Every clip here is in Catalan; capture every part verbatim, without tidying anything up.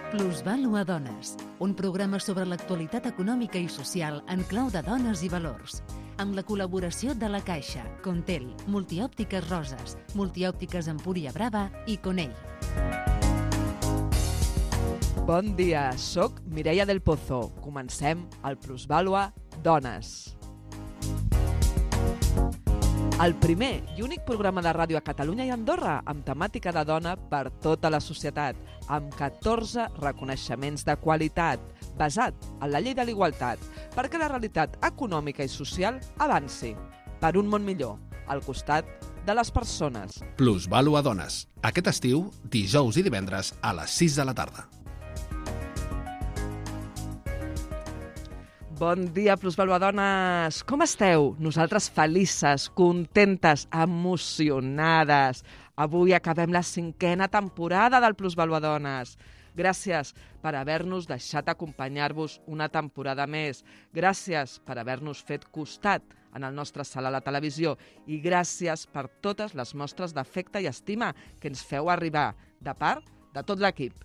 Plusvàlua Dones, un programa sobre l'actualitat econòmica i social en clau de dones i valors, amb la col·laboració de La Caixa, Contel, Multiòptiques Roses, Multiòptiques Empúria Brava i Conell. Bon dia, soc Mireia del Pozo. Comencem el Plusvàlua Dones. El primer i únic programa de ràdio a Catalunya i Andorra amb temàtica de dona per tota la societat, amb catorze reconeixements de qualitat, basat en la llei de l'igualtat, perquè la realitat econòmica i social avanci per un món millor, al costat de les persones. Plusvàlua Dones. Aquest estiu, dijous i divendres a les sis de la tarda. Bon dia, Plusvàlua Dones! Com esteu? Nosaltres felices, contentes, emocionades. Avui acabem la cinquena temporada del Plusvàlua Dones. Gràcies per haver-nos deixat acompanyar-vos una temporada més. Gràcies per haver-nos fet costat en el nostre salt a la televisió. I gràcies per totes les mostres d'afecte i estima que ens feu arribar, de part de tot l'equip.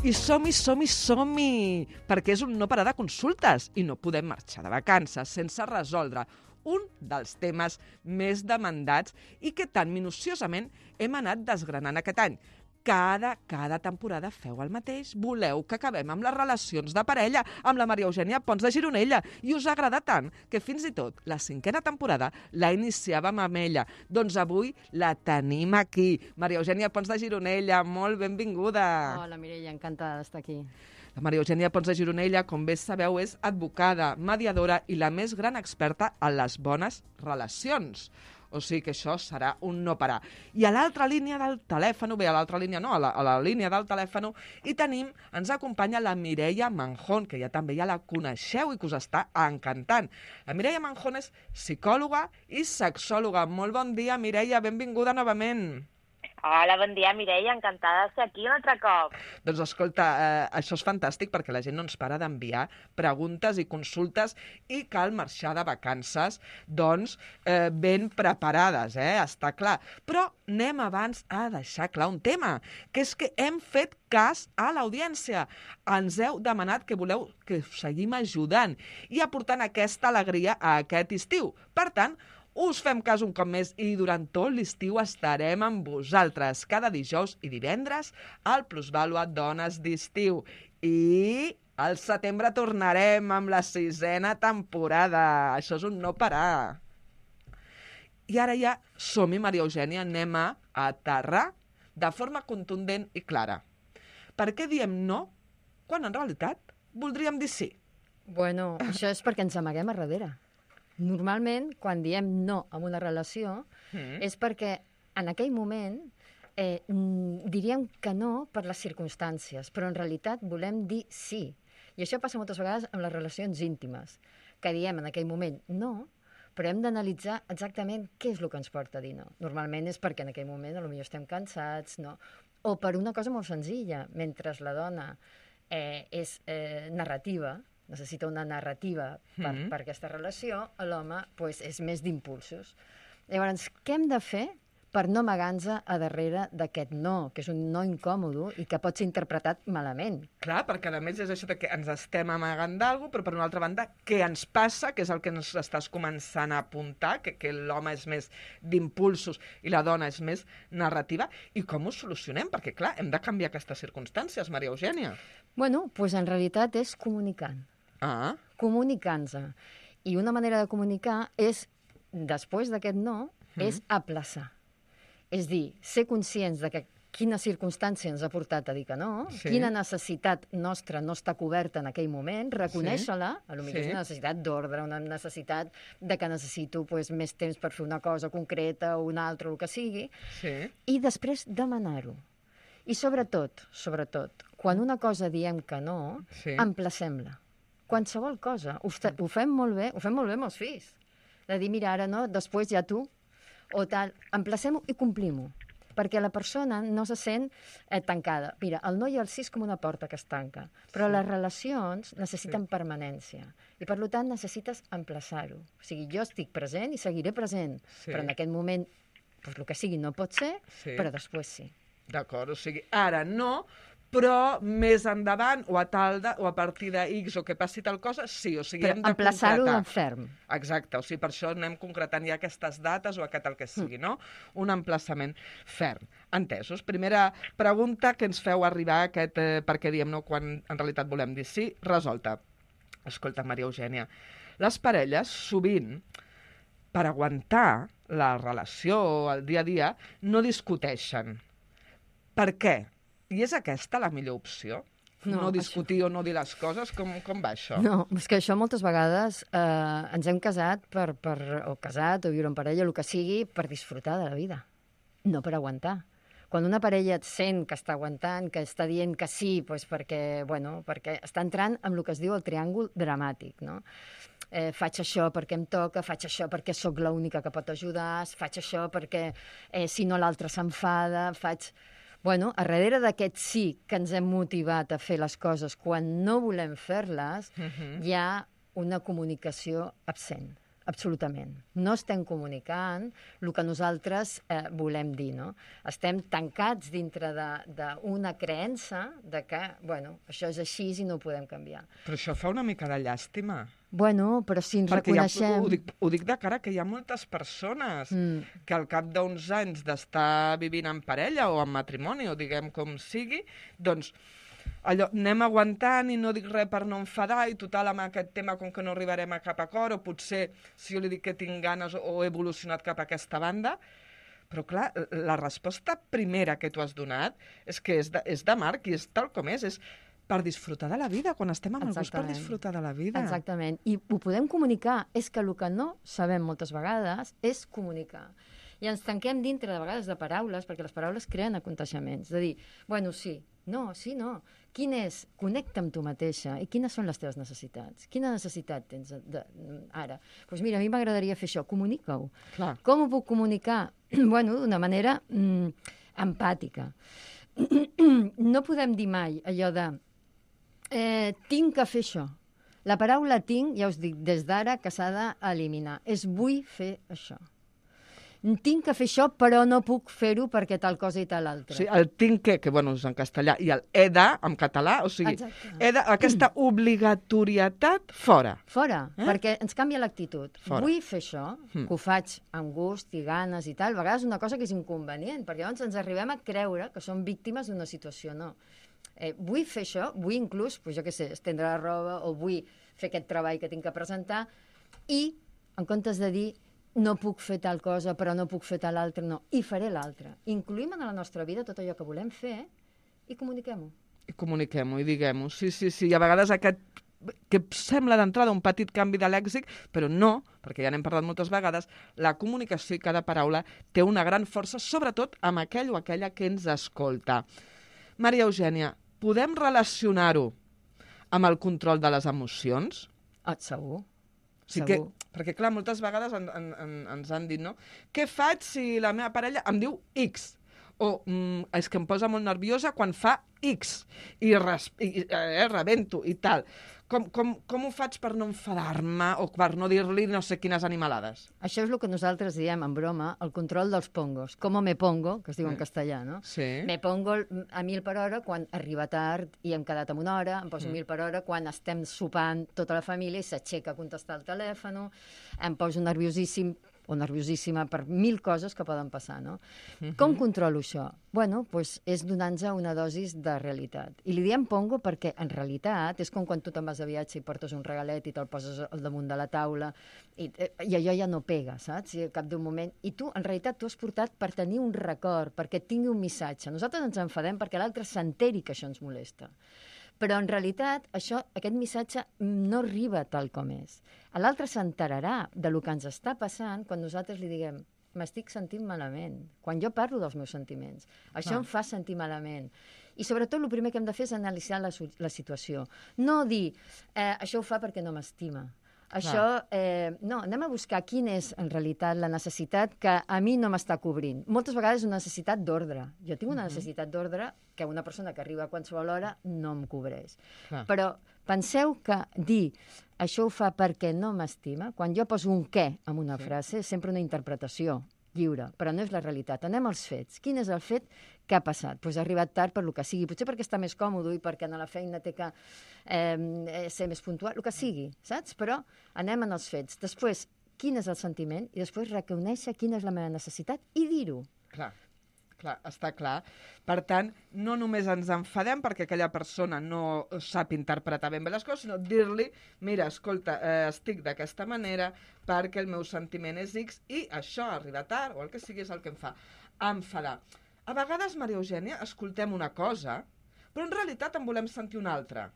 I som-hi, som-hi, som-hi, perquè és un no parar de consultes i no podem marxar de vacances sense resoldre un dels temes més demandats i que tan minuciosament hem anat desgranant aquest any. Cada, cada temporada feu el mateix. Voleu que acabem amb les relacions de parella amb la Maria Eugènia Pons de Gironella i us agrada tant que fins i tot la cinquena temporada la iniciàvem amb ella. Doncs avui la tenim aquí. Maria Eugènia Pons de Gironella, molt benvinguda. Hola, Mireia, encantada d'estar aquí. La Maria Eugènia Pons de Gironella, com bé sabeu, és advocada, mediadora i la més gran experta en les bones relacions. O sigui que això serà un no parar. I a l'altra línia del telèfon, bé, a l'altra línia no, a la, a la línia del telèfon, i tenim, ens acompanya la Mireia Manjón, que ja també ja la coneixeu i que us està encantant. La Mireia Manjón és psicòloga i sexòloga. Molt bon dia, Mireia, benvinguda novament. Hola, bon dia, Mireia, encantada de ser aquí un altre cop. Doncs escolta, eh, això és fantàstic perquè la gent no ens para d'enviar preguntes i consultes i cal marxar de vacances, doncs, eh, ben preparades, eh, està clar. Però anem abans a deixar clar un tema, que és que hem fet cas a l'audiència. Ens heu demanat que voleu que us seguim ajudant i aportant aquesta alegria a aquest estiu. Per tant, us fem cas un cop més i durant tot l'estiu estarem amb vosaltres cada dijous i divendres al Plusvàlua Dones d'estiu. I al setembre tornarem amb la sisena temporada. Això és un no parar. I ara ja som-hi, Maria Eugènia, anem a aterrar de forma contundent i clara. Per què diem no quan en realitat voldríem dir sí? Bueno, això és perquè ens amaguem a darrere. Normalment, quan diem no a una relació, mm. és perquè en aquell moment eh, diríem que no per les circumstàncies, però en realitat volem dir sí. I això passa moltes vegades amb les relacions íntimes, que diem en aquell moment no, però hem d'analitzar exactament què és el que ens porta a dir no. Normalment és perquè en aquell moment potser estem cansats, no? O per una cosa molt senzilla, mentre la dona eh, és eh, narrativa, necessita una narrativa per, mm-hmm. per aquesta relació, l'home pues, és més d'impulsos. Llavors, què hem de fer per no amagar-nos a darrere d'aquest no, que és un no incòmodo i que pot ser interpretat malament? Clar, perquè a més és això de que ens estem amagant d'alguna cosa, però per una altra banda, què ens passa, que és el que ens estàs començant a apuntar, que, que l'home és més d'impulsos i la dona és més narrativa, i com ho solucionem? Perquè, clar, hem de canviar aquestes circumstàncies, Maria Eugènia. Bueno, doncs en realitat és comunicant. Ah. Comunicant-se. I una manera de comunicar és, després d'aquest no, mm. és aplaçar. És dir, ser conscients de que quina circumstància ens ha portat a dir que no, sí. quina necessitat nostra no està coberta en aquell moment, reconèixer-la, sí. potser sí. és una necessitat d'ordre, una necessitat de que necessito pues, més temps per fer una cosa concreta o una altra, o el que sigui, sí. i després demanar-ho. I sobretot, sobretot, quan una cosa diem que no, sí. emplacem-la. Qualsevol cosa. Ho, ho fem molt bé, ho fem molt bé amb els fills. De dir, mira, ara no, després ja tu, o tal. Emplacem-ho i complim-ho. Perquè la persona no se sent eh, tancada. Mira, el no i el sí és com una porta que es tanca. Però sí. les relacions necessiten sí. permanència. I, per tant, necessites emplaçar-ho. O sigui, jo estic present i seguiré present. Sí. Però en aquest moment pues, el que sigui no pot ser, Sí. però després sí. D'acord, o sigui, ara no, però més endavant, o a tal de, o a partir de X, o que passi tal cosa, sí, o sigui, Però hem de emplaçar-ho concretar. en ferm. Exacte, o sigui, per això anem concretant ja aquestes dates o aquest el que sigui, no? Un emplaçament ferm. Entesos. Primera pregunta que ens feu arribar, aquest, eh, perquè diem no quan en realitat volem dir sí, resolta. Escolta, Maria Eugènia, les parelles sovint, per aguantar la relació, el dia a dia, no discuteixen. Per què? I és aquesta la millor opció? No, No, no discutir això... o no dir les coses? Com, com va això? No, és que això moltes vegades eh, ens hem casat per, per, o casat o viure en parella, el que sigui, per disfrutar de la vida, no per aguantar. Quan una parella et sent que està aguantant, que està dient que sí, doncs perquè, bueno, perquè està entrant amb el que es diu el triàngul dramàtic, no? Eh, faig això perquè em toca, faig això perquè sóc l'única que pot ajudar, faig això perquè eh, si no l'altre s'enfada, faig... Bueno, a darrere d'aquest sí que ens hem motivat a fer les coses quan no volem fer-les, Mhm. hi ha una comunicació absent, absolutament. No estem comunicant el que nosaltres eh, volem dir, no? Estem tancats dintre d'una creença de que, bueno, això és així i no ho podem canviar. Però això fa una mica de llàstima. Bueno, però si ens Perquè ja, reconeixem... ho, dic, ho dic de cara que hi ha moltes persones Mm. que al cap d'uns anys d'estar vivint en parella o en matrimoni, o diguem com sigui, doncs allò, anem aguantant i no dic res per no enfadar i total amb aquest tema com que no arribarem a cap acord o potser si jo li dic que tinc ganes o he evolucionat cap a aquesta banda. Però clar, la resposta primera que tu has donat és que és de, és de Marc i és tal com és, és per disfrutar de la vida, quan estem amb algú és per Exactament. disfrutar de la vida. Exactament. I ho podem comunicar. És que el que no sabem moltes vegades és comunicar. I ens tanquem dintre, de vegades, de paraules, perquè les paraules creen aconteixements. De dir, bueno, sí, no, sí, no. Quin és? Connecta amb tu mateixa. I quines són les teves necessitats? Quina necessitat tens de, de, ara? Doncs pues mira, a mi m'agradaria fer això. Comunica-ho. Clar. Com ho puc comunicar? Bueno, d'una manera mm, empàtica. No podem dir mai allò de eh, tinc que fer això. La paraula tinc, ja us dic, des d'ara que s'ha d'eliminar. És vull fer això. Tinc que fer això, però no puc fer-ho perquè tal cosa i tal altra. O sigui, el tinc que, que bueno, és en castellà, i el he de, en català, o sigui, Exacte. he de, aquesta obligatorietat, fora. Fora, Eh? perquè ens canvia l'actitud. Fora. Vull fer això, Mm. que ho faig amb gust i ganes i tal. A vegades una cosa que és inconvenient, perquè llavors ens arribem a creure que som víctimes d'una situació. No. Eh, vull fer això, vull inclús, pues jo què sé, estendre la roba, o vull fer aquest treball que tinc que presentar, i en comptes de dir no puc fer tal cosa, però no puc fer tal altra, no, i faré l'altra. Incluïm en la nostra vida tot allò que volem fer i comuniquem-ho. I comuniquem-ho i diguem-ho. Sí, sí, sí. I a vegades aquest que sembla d'entrada un petit canvi de lèxic, però no, perquè ja n'hem parlat moltes vegades, la comunicació i cada paraula té una gran força, sobretot amb aquell o aquella que ens escolta. Maria Eugènia, podem relacionar-ho amb el control de les emocions? Ah, segur. O sigui que, Segur. perquè, clar, moltes vegades en, en, en, ens han dit, no? Què faig si la meva parella em diu X? O mm, és que em posa molt nerviosa quan fa X i, res, i eh, rebento i tal. Com, com, com ho faig per no enfadar-me o per no dir-li no sé quines animalades? Això és el que nosaltres diem en broma, el control dels pongos. Com me pongo, que es diu en Mm. castellà, no? Sí. Me pongo a mil per hora quan arriba tard i hem quedat amb una hora, em poso Mm. mil per hora quan estem sopant tota la família i s'aixeca a contestar el telèfon, em poso nerviosíssim o nerviosíssima per mil coses que poden passar, no? Mhm. Com controlo això? Bueno, doncs és donant-nos una dosis de realitat. I li diem pongo perquè, en realitat, és com quan tu te'n vas de viatge i portes un regalet i te'l poses al damunt de la taula i, i allò ja no pega, saps? I al cap d'un moment... I tu, en realitat, tu has portat per tenir un record, perquè et tingui un missatge. Nosaltres ens enfadem perquè l'altre s'enteri que això ens molesta. Però, en realitat, això, aquest missatge no arriba tal com és. L'altre s'enterarà de lo que ens està passant quan nosaltres li diguem m'estic sentint malament, quan jo parlo dels meus sentiments. Això Clar. em fa sentir malament. I, sobretot, el primer que hem de fer és analitzar la, la situació. No dir, eh, això ho fa perquè no m'estima. Això, eh, no, anem a buscar quina és, en realitat, la necessitat que a mi no m'està cobrint. Moltes vegades és una necessitat d'ordre. Jo tinc una Mhm. necessitat d'ordre que una persona que arriba a qualsevol hora no em cobreix. Clar. Però penseu que dir això ho fa perquè no m'estima, quan jo poso un què en una frase, és sempre una interpretació. lliure, però no és la realitat. Anem als fets. Quin és el fet que ha passat? Doncs ha arribat tard per lo que sigui, potser perquè està més còmode i perquè a la feina té que eh, ser més puntual, el que sigui, saps? Però anem en els fets. Després, quin és el sentiment? I després reconèixer quina és la meva necessitat i dir-ho. Clar. Clar, està clar. Per tant, no només ens enfadem perquè aquella persona no sap interpretar ben bé les coses, sinó dir-li, mira, escolta, eh, estic d'aquesta manera perquè el meu sentiment és X i això, arriba tard, o el que sigui, és el que em fa enfadar. A vegades, Maria Eugènia, escoltem una cosa, però en realitat en volem sentir una altra.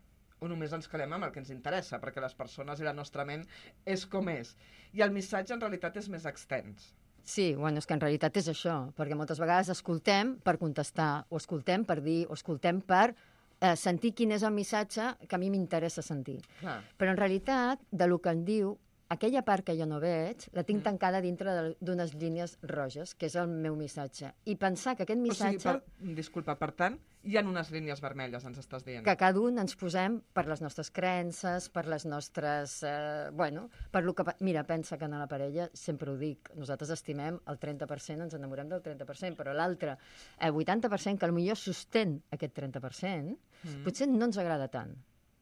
O només ens quedem amb el que ens interessa, perquè les persones i la nostra ment és com és. I el missatge, en realitat, és més extens. Sí, bueno, és que en realitat és això, perquè moltes vegades escoltem per contestar, o escoltem per dir, o escoltem per eh, sentir quin és el missatge que a mi m'interessa sentir. Clar. Però en realitat, de lo que en diu, aquella part que jo no veig, la tinc tancada dintre d'unes línies roges, que és el meu missatge. I pensar que aquest missatge... O sigui, per, disculpa, per tant, hi ha unes línies vermelles, ens estàs dient. Que cada un ens posem per les nostres creences, per les nostres... Eh, bueno, per lo que... Mira, pensa que en la parella, sempre ho dic, nosaltres estimem el trenta per cent, ens enamorem del trenta per cent, però l'altre, el vuitanta per cent, que potser sostén aquest trenta per cent, mm. potser no ens agrada tant.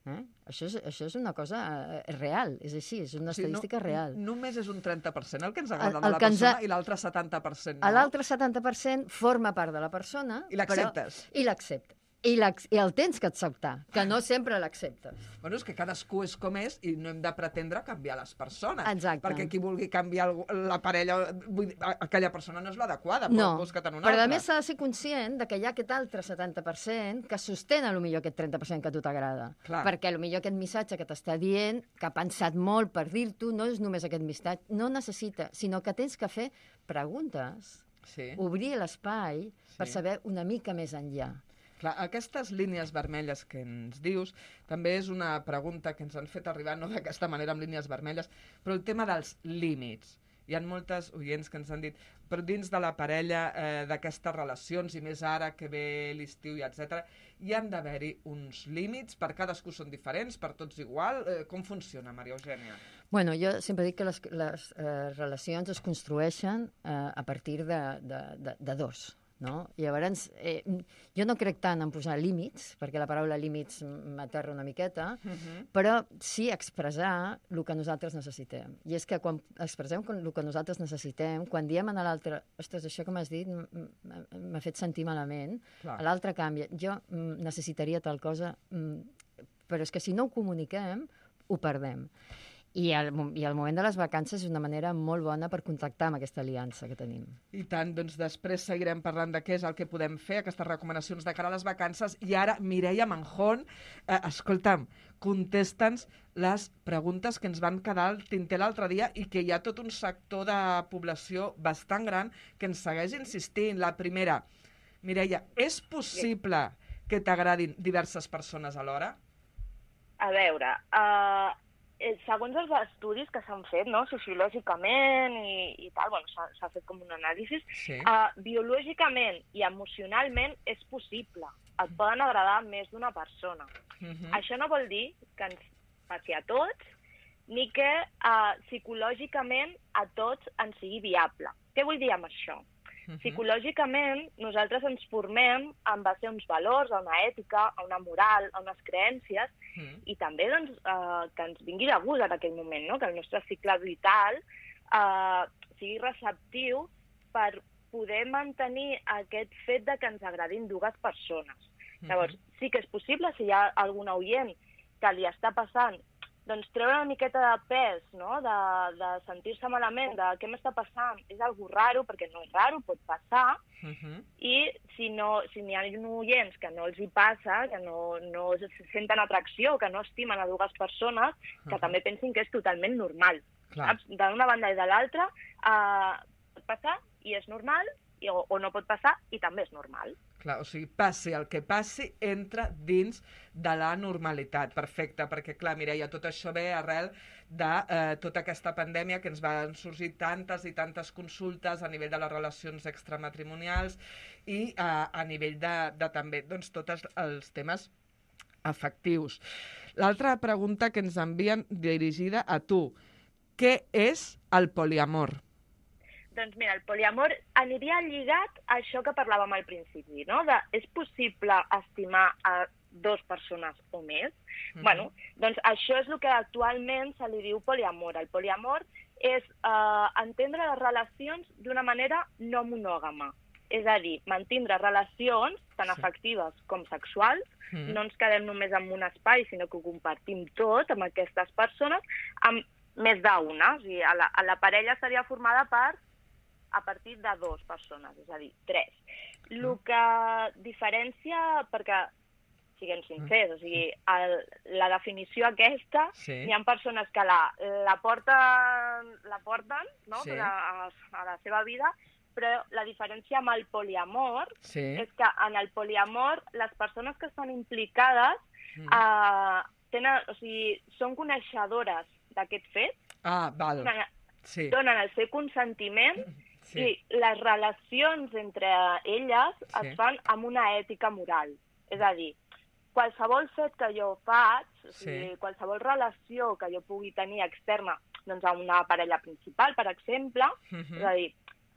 Eh? Això, és, això és una cosa eh, real, és així, és una estadística o sigui, no, real. Només és un trenta per cent el que ens agrada el, el de la persona ha... i l'altre setanta per cent no? L'altre setanta per cent forma part de la persona... I l'acceptes. I l'accepta. I, I el tens que acceptar, que no sempre l'acceptes. Bueno, és que cadascú és com és i no hem de pretendre canviar les persones. Exacte. Perquè qui vulgui canviar la parella, vull dir, aquella persona no és l'adequada, però no, busca-te'n una però altra. a més s'ha de ser conscient de que hi ha aquest altre setanta per cent que sostén a lo millor aquest trenta per cent que a tu t'agrada. Perquè a lo millor aquest missatge que t'està dient, que ha pensat molt per dir-t'ho, no és només aquest missatge, no necessita, sinó que tens que fer preguntes, sí. obrir l'espai sí. per saber una mica més enllà. Clar, aquestes línies vermelles que ens dius també és una pregunta que ens han fet arribar, no d'aquesta manera amb línies vermelles, però el tema dels límits. Hi ha moltes oients que ens han dit, però dins de la parella, eh, d'aquestes relacions, i més ara que ve l'estiu i etcètera, hi han d'haver-hi uns límits, per cadascú són diferents, per tots igual. Eh, com funciona, Maria Eugènia? Bueno, jo sempre dic que les, les eh, relacions es construeixen eh, a partir de, de, de, de dos. No? Llavors, eh, jo no crec tant en posar límits, perquè la paraula límits m'aterra una miqueta, uh-huh. però sí expressar el que nosaltres necessitem. I és que quan expressem el que nosaltres necessitem, quan diem a l'altre, ostres, això que m'has dit m'ha fet sentir malament, Clar. a l'altre canvia, jo necessitaria tal cosa, però és que si no ho comuniquem, ho perdem. I el, I el moment de les vacances és una manera molt bona per contactar amb aquesta aliança que tenim. I tant, doncs després seguirem parlant de què és el que podem fer, aquestes recomanacions de cara a les vacances. I ara, Mireia Manjón, eh, escolta'm, contesta'ns les preguntes que ens van quedar al tinter l'altre dia i que hi ha tot un sector de població bastant gran que ens segueix insistint. La primera, Mireia, és possible que t'agradin diverses persones alhora? A veure... Uh... Segons els estudis que s'han fet, no, sociològicament i, i tal, bueno, s'ha fet com un anàlisi, sí. uh, biològicament i emocionalment és possible. Et poden agradar més d'una persona. Uh-huh. Això no vol dir que ens passi a tots, ni que uh, psicològicament a tots ens sigui viable. Què vull dir amb això? Uh-huh. Psicològicament, nosaltres ens formem en base a uns valors, a una ètica, a una moral, a unes creences, uh-huh. i també doncs, eh, que ens vingui de gust en aquell moment, no? Que el nostre cicle vital eh, sigui receptiu per poder mantenir aquest fet de que ens agradin dues persones. Uh-huh. Llavors, sí que és possible, si hi ha algun oient que li està passant, doncs treure una miqueta de pes, no? de, de sentir-se malament, de què m'està passant, és algo raro, perquè no és raro, pot passar, uh-huh. i si, no, si n'hi ha oients que no els hi passa, que no, no senten atracció, que no estimen a dues persones, que uh-huh. també pensin que és totalment normal. D'una banda i de l'altra, eh, pot passar i és normal, i, o, o no pot passar i també és normal. Clar, o sigui, passi el que passi, entra dins de la normalitat. Perfecte, perquè, clar, Mireia, tot això ve arrel de eh, tota aquesta pandèmia que ens van sorgir tantes i tantes consultes a nivell de les relacions extramatrimonials i eh, a nivell de, de també doncs, tots els temes afectius. L'altra pregunta que ens envien dirigida a tu. Què és el poliamor? Doncs mira, el poliamor aniria lligat a això que parlàvem al principi, no? De, és possible estimar a dues persones o més? Mm-hmm. Bueno, doncs això és el que actualment se li diu poliamor. El poliamor és eh, entendre les relacions d'una manera no monògama. És a dir, mantindre relacions tan afectives com sexuals, mm. no ens quedem només en un espai, sinó que ho compartim tot amb aquestes persones, amb més d'una. O sigui, a la, a la parella seria formada per a partir de dues persones, és a dir, tres. El mm. que diferencia, perquè siguem sincers, o sigui, el, la definició aquesta, sí. Hi ha persones que la, la, porten, la porten no? Sí. a, a la seva vida, però la diferència amb el poliamor sí. és que en el poliamor les persones que estan implicades mm. eh, tenen, o sigui, són coneixedores d'aquest fet, ah, val. Donen, sí. donen el seu consentiment sí. i les relacions entre elles sí. es fan amb una ètica moral. És a dir, qualsevol fet que jo faig, o sigui, sí. qualsevol relació que jo pugui tenir externa doncs, a una parella principal, per exemple, mm-hmm. és a dir,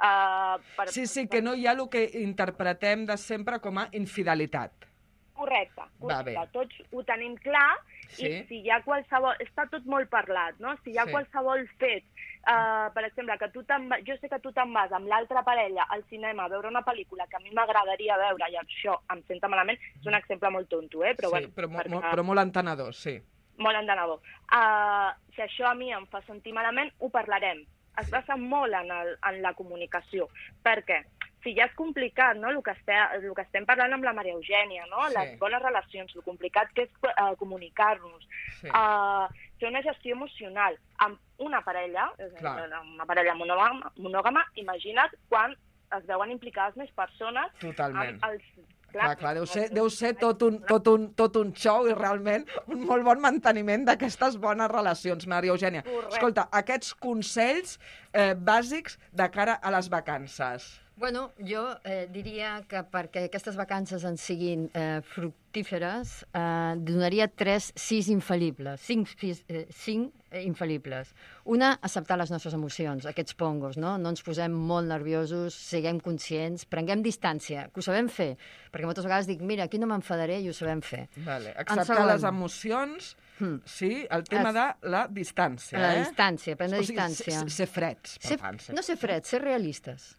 Uh, per... Sí, sí, que no hi ha el que interpretem de sempre com a infidelitat. Correcte, correcte. Tots ho tenim clar sí. i si hi ha qualsevol... Està tot molt parlat, no? Si hi ha sí. qualsevol fet, uh, per exemple, que tu te'n... jo sé que tu te'n vas amb l'altra parella al cinema a veure una pel·lícula que a mi m'agradaria veure i això em senta malament, és un exemple molt tonto, eh? Però, sí, bueno, però, perquè... mo però molt entenedor, sí. Molt entenedor. Uh, si això a mi em fa sentir malament, ho parlarem. Es basa molt en, el, en la comunicació. Per què? Si ja és complicat, no?, el que, estem, el que estem parlant amb la Maria Eugènia, no? Sí. Les bones relacions, el complicat que és uh, comunicar-nos, sí. uh, fer una gestió emocional amb una parella, una parella monògama, monògama, imagina't quan es veuen implicades més persones. Totalment. Amb els Clar, clar, clar, deu ser, deu ser tot, un, tot, un, tot un show i realment un molt bon manteniment d'aquestes bones relacions, Maria Eugènia. Correcte. Escolta, aquests consells eh, bàsics de cara a les vacances. Bueno, jo eh, diria que perquè aquestes vacances en siguin eh, fructíferes, eh, donaria tres, sis infal·libles, cinc, eh, cinc eh, infal·libles. Una, acceptar les nostres emocions, aquests pongos, no? No ens posem molt nerviosos, siguem conscients, prenguem distància, que ho sabem fer, perquè moltes vegades dic, mira, aquí no m'enfadaré i ho sabem fer. Vale. Acceptar les emocions, hmm. sí, el tema es... de la distància. La eh? distància, prendre o sigui, distància. Ser, ser freds, per ser, tant. No ser freds, ser realistes.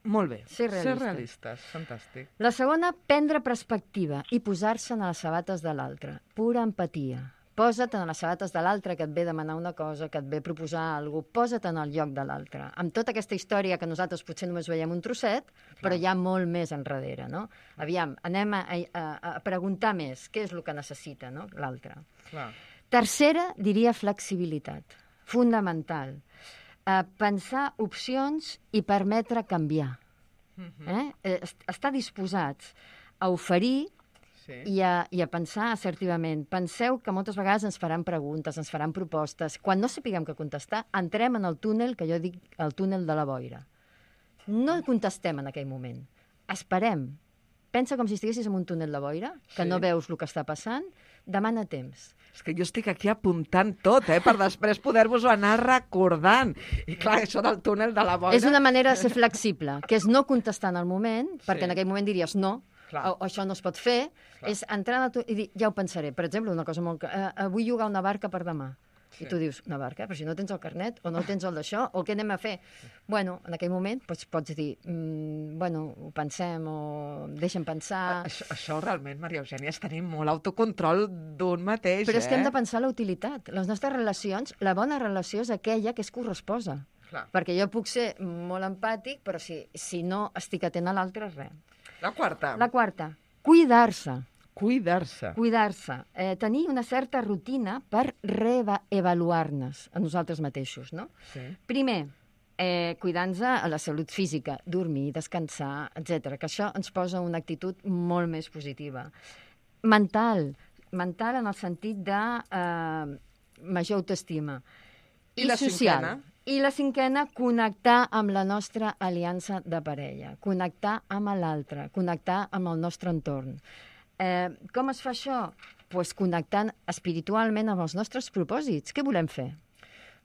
Molt bé, ser realistes. ser realistes, fantàstic. La segona, prendre perspectiva i posar-se en les sabates de l'altre. Pura empatia. Posa't en les sabates de l'altre que et ve demanar una cosa, que et ve proposar alguna cosa, posa't en el lloc de l'altre. Amb tota aquesta història que nosaltres potser només veiem un trosset, clar. Però hi ha molt més enrere, no? Aviam, anem a, a, a preguntar més què és el que necessita, no?, l'altre. Tercera, diria flexibilitat. Fundamental. Uh, pensar opcions i permetre canviar. Eh? Eh, estar disposats a oferir sí. i, a, i a pensar assertivament. Penseu que moltes vegades ens faran preguntes, ens faran propostes. Quan no sapiguem què contestar, entrem en el túnel, que jo dic el túnel de la boira. No contestem en aquell moment. Esperem. Pensa com si estiguessis en un túnel de boira, que sí. no veus el que està passant, demana temps. És que jo estic aquí apuntant tot, eh, per després poder-vos-ho anar recordant. I clar, això del túnel de la boira... És una manera de ser flexible, que és no contestar en el moment, perquè sí. en aquell moment diries no, o, o això no es pot fer, clar. És entrar en el, i dir, ja ho pensaré. Per exemple, una cosa molt... Eh, vull llogar una barca per demà. Sí. I tu dius, una barca? Però si no tens el carnet, o no tens el d'això, o què anem a fer? Bueno, en aquell moment pots, pots dir, mm, bueno, ho pensem, o deixa'm pensar... Això, això realment, Maria Eugènia, és tenir molt autocontrol d'un mateix, Però és eh? que hem de pensar la utilitat. Les nostres relacions, la bona relació és aquella que és corresposa. Clar. Perquè jo puc ser molt empàtic, però si, si no estic atent a l'altre, res. La quarta. La quarta, cuidar-se. Cuidar-se. Cuidar-se. Eh, tenir una certa rutina per reavaluar-nos a nosaltres mateixos, no? Sí. Primer, eh, cuidar-nos a la salut física, dormir, descansar, etcètera, que això ens posa una actitud molt més positiva. Mental. Mental en el sentit de eh, major autoestima. I, I la social. Cinquena? I la cinquena, connectar amb la nostra aliança de parella, connectar amb l'altre, connectar amb el nostre entorn. Eh, com es fa això? Pues connectant espiritualment amb els nostres propòsits. Què volem fer?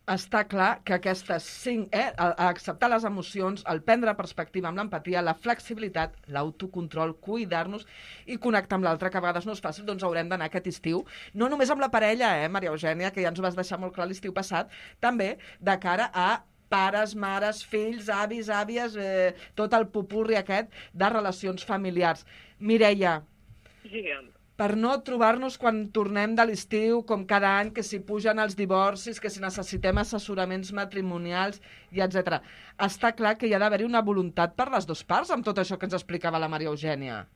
Està clar que aquestes cinc, eh, acceptar les emocions, el prendre perspectiva amb l'empatia, la flexibilitat, l'autocontrol, cuidar-nos i connectar amb l'altre, que a vegades no és fàcil, doncs haurem d'anar aquest estiu, no només amb la parella, eh, Maria Eugènia, que ja ens ho vas deixar molt clar l'estiu passat, també de cara a pares, mares, fills, avis, àvies, eh, tot el popurri aquest de relacions familiars. Mireia, Digue'm. per no trobar-nos quan tornem de l'estiu, com cada any, que si pugen els divorcis, que si necessitem assessoraments matrimonials, i etcètera. Està clar que hi ha d'haver-hi una voluntat per les dues parts amb tot això que ens explicava la Maria Eugènia.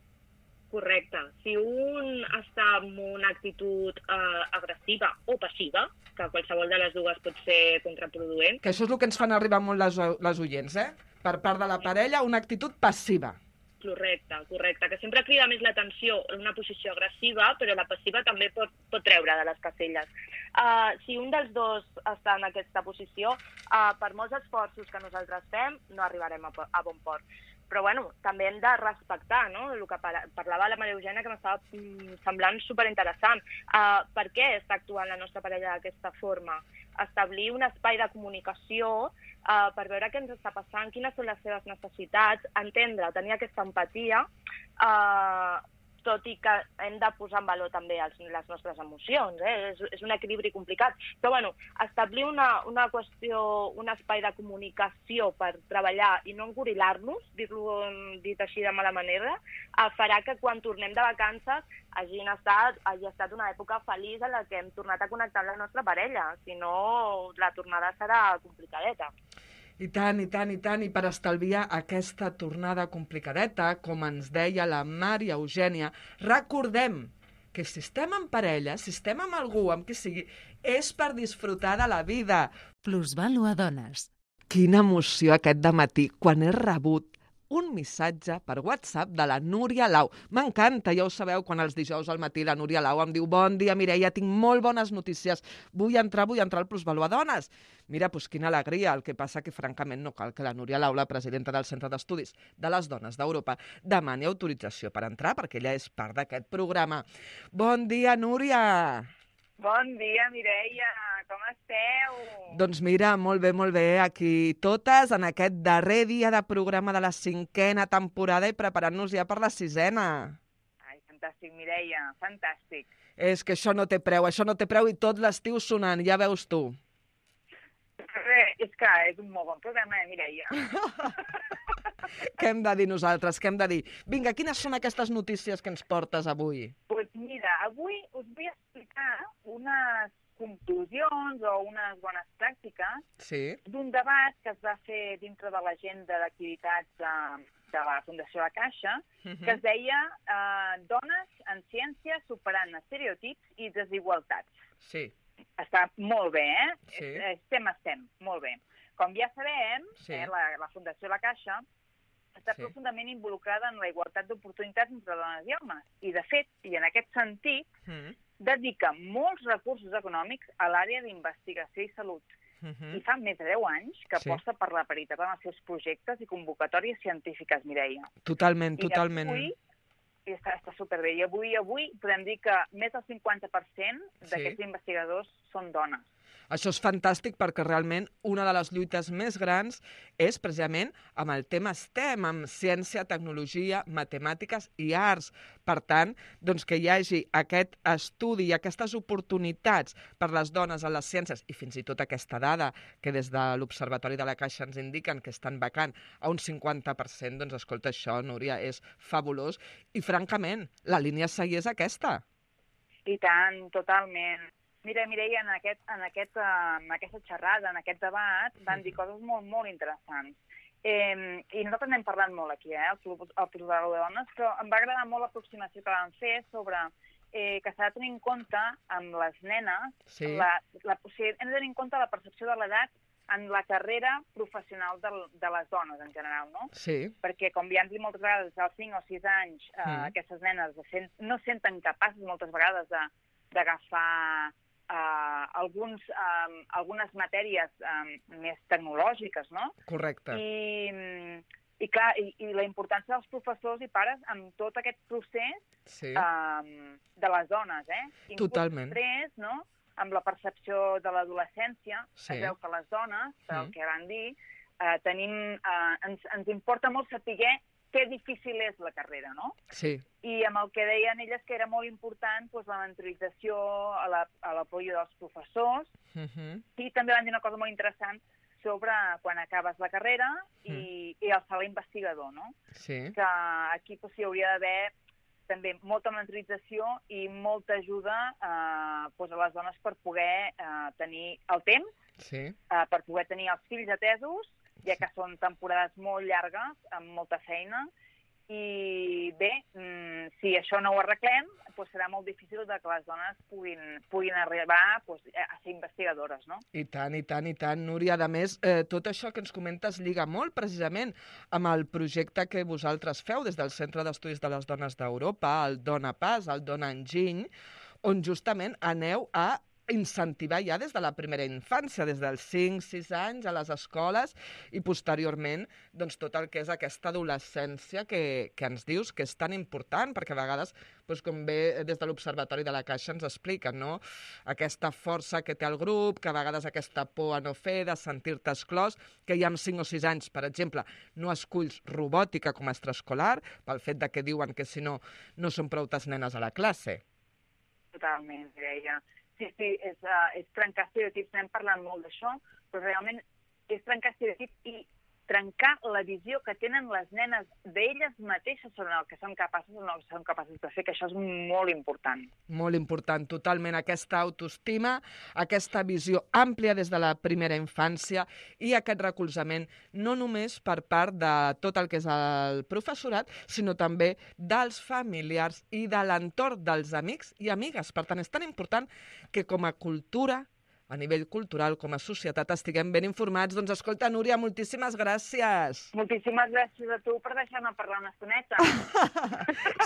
Correcte. Si un està amb una actitud eh, agressiva o passiva, que qualsevol de les dues pot ser contraproduent... Que això és el que ens fan arribar molt les, les oients, eh? Per part de la parella, una actitud passiva. Correcte, correcte, que sempre crida més l'atenció en una posició agressiva, però la passiva també pot, pot treure de les caselles. Uh, si un dels dos està en aquesta posició, uh, per molts esforços que nosaltres fem, no arribarem a, a bon port. Però bueno, també hem de respectar, no?, el que parlava la Maria Eugènia, que m'estava mm, semblant superinteressant. Uh, per què està actuant la nostra parella d'aquesta forma? Establir un espai de comunicació uh, per veure què ens està passant, quines són les seves necessitats, entendre, tenir aquesta empatia, uh, tot i que hem de posar en valor també els, les nostres emocions, eh? és, és un equilibri complicat. Però bueno, establir una, una qüestió, un espai de comunicació per treballar i no engorilar-nos, dir-lo dit així de mala manera, eh, farà que quan tornem de vacances hagin estat, hagi estat una època feliç en la que hem tornat a connectar amb la nostra parella, si no la tornada serà complicadeta. I tant, i tant, i tant, i per estalviar aquesta tornada complicadeta, com ens deia la Maria Eugènia, recordem que si estem en parella, si estem amb algú, amb qui sigui, és per disfrutar de la vida. Plusvàlua Dones. Quina emoció aquest dematí, quan he rebut un missatge per WhatsApp de la Núria Lau. M'encanta, ja ho sabeu, quan els dijous al matí la Núria Lau em diu: bon dia, Mireia, tinc molt bones notícies. Vull entrar, vull entrar al Plusvàlua Dones. Mira, doncs quina alegria. El que passa que, francament, no cal que la Núria Lau, la presidenta del Centre d'Estudis de les Dones d'Europa, demani autorització per entrar, perquè ella és part d'aquest programa. Bon dia, Núria! Bon dia, Mireia, com esteu? Doncs mira, molt bé, molt bé, aquí totes en aquest darrer dia de programa de la cinquena temporada i preparant-nos ja per la sisena. Ai, fantàstic, Mireia, fantàstic. És que això no té preu, això no té preu i tot l'estiu sonant, ja veus tu. Bé, és que és un molt bon programa, eh, Mireia? Què hem de dir nosaltres, què hem de dir? Vinga, quines són aquestes notícies que ens portes avui? Doncs pues mira, avui us vull explicar unes conclusions o unes bones pràctiques sí. d'un debat que es va fer dintre de l'agenda d'activitats de, de la Fundació La Caixa, uh-huh. que es deia eh, Dones en ciència superant estereotips i desigualtats. Sí. Està molt bé, eh? Sí. Estem, estem, molt bé. Com ja sabem, sí. eh, la, la Fundació La Caixa està sí. profundament involucrada en la igualtat d'oportunitats entre dones i homes. I, de fet, i en aquest sentit, mm. dedica molts recursos econòmics a l'àrea d'investigació i salut. Mm-hmm. I fa més de deu anys que sí. aposta per la paritat en els seus projectes i convocatòries científiques, Mireia. Totalment, I totalment. Avui, i està, està superbé. I avui, avui podem dir que més del cinquanta per cent d'aquests sí. investigadors són dones. Això és fantàstic perquè realment una de les lluites més grans és precisament amb el tema STEM, amb ciència, tecnologia, matemàtiques i arts. Per tant, doncs que hi hagi aquest estudi i aquestes oportunitats per les dones en les ciències i fins i tot aquesta dada que des de l'Observatori de la Caixa ens indiquen que estan vacant a un cinquanta per cent, doncs escolta, això, Núria, és fabulós. I francament, la línia a seguir és aquesta. I tant, totalment. Mira, Mireia, en, aquest, en, aquest, en aquesta xerrada, en aquest debat, van dir coses molt, molt interessants. Eh, I nosaltres n'hem parlat molt aquí, eh, al Plusvàlua de Dones, però em va agradar molt l'aproximació que van fer sobre eh, que s'ha de tenir en compte amb les nenes, sí. la, la, o sigui, hem de tenir en compte la percepció de l'edat en la carrera professional de, de les dones, en general, no? Sí. Perquè, com ja hem dit moltes vegades, als cinc o sis anys, eh, mm. aquestes nenes sent, no senten capaces moltes vegades d'agafar Uh, alguns, um, algunes matèries um, més tecnològiques, no? Correcte. I, i clar, i, i la importància dels professors i pares en tot aquest procés sí. um, de les dones, eh? Totalment. Inclús després, no? amb la percepció de l'adolescència, Sí. es veu que les dones, pel Mm. que van dir, eh, tenim, eh, ens, ens importa molt saber què difícil és la carrera, no? Sí. I amb el que deien elles que era molt important doncs, la mentorització, a la, a l'apoyo dels professors, Uh -huh. i també van dir una cosa molt interessant sobre quan acabes la carrera i, i el salt investigador, no? Sí. Que aquí doncs, hi hauria d'haver també molta mentorització i molta ajuda eh, doncs, a les dones per poder eh, tenir el temps, Sí. eh, per poder tenir els fills atesos, ja que són temporades molt llargues, amb molta feina, i bé, mm, si això no ho arreglem, doncs serà molt difícil de que les dones puguin, puguin arribar doncs, a ser investigadores, no? I tant, i tant, i tant, Núria. A més, eh, tot això que ens comentes lliga molt precisament amb el projecte que vosaltres feu des del Centre d'Estudis de les Dones d'Europa, el Dona Pas, el Dona Enginy, on justament aneu a incentivar ja des de la primera infància, des dels cinc sis anys a les escoles i posteriorment doncs, tot el que és aquesta adolescència que, que ens dius que és tan important, perquè a vegades, doncs, com bé des de l'Observatori de la Caixa ens expliquen, no? Aquesta força que té el grup, que a vegades aquesta por a no fer, de sentir-te exclòs, que ja amb cinc o sis anys, per exemple, no esculls robòtica com a extraescolar, pel fet de que diuen que si no, no són prou nenes a la classe. Totalment, Mireia. Sí, sí, és, uh, és trencar estereotips, n'hem parlat molt d'això, però realment és trencar estereotips i trencar la visió que tenen les nenes d'elles mateixes sobre el que són capaces o no són capaces de fer, que això és molt important. Molt important, totalment, aquesta autoestima, aquesta visió àmplia des de la primera infància i aquest recolzament no només per part de tot el que és el professorat, sinó també dels familiars i de l'entorn dels amics i amigues. Per tant, és tan important que com a cultura, a nivell cultural, com a societat, estiguem ben informats. Doncs escolta, Núria, moltíssimes gràcies. Moltíssimes gràcies a tu per deixar-me parlar una estoneta.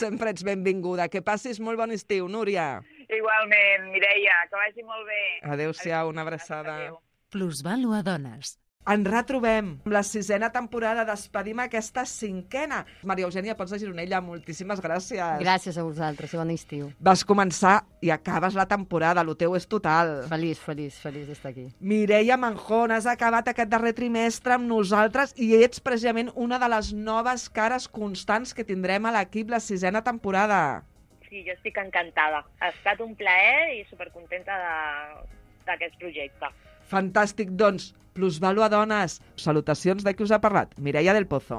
Sempre ets benvinguda. Que passis molt bon estiu, Núria. Igualment, Mireia, que vagi molt bé. Adéu-siau, una abraçada. Adéu. Plusvàlua Dones. Ens retrobem amb la sisena temporada. Despedim aquesta cinquena. Maria Eugènia Pons de Gironella, moltíssimes gràcies. Gràcies a vosaltres i bon estiu. Vas començar i acabes la temporada, el teu és total. Feliç, feliç, feliç d'estar aquí. Mireia Manjón, has acabat aquest darrer trimestre amb nosaltres i ets precisament una de les noves cares constants que tindrem a l'equip la sisena temporada. Sí, jo estic encantada. Ha estat un plaer i supercontenta d'aquest projecte. Fantàstic, doncs, Plusvàlua Dones. Salutacions de qui us ha parlat, Mireia del Pozo.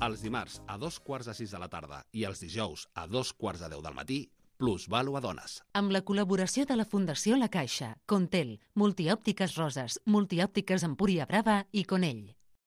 Els dimarts a dos quarts de sis de la tarda i els dijous a dos quarts de deu del matí, Plusvàlua Dones. Amb la col·laboració de la Fundació La Caixa, Contel, Multiòptiques Roses, Multiòptiques Empúria Brava i Conell.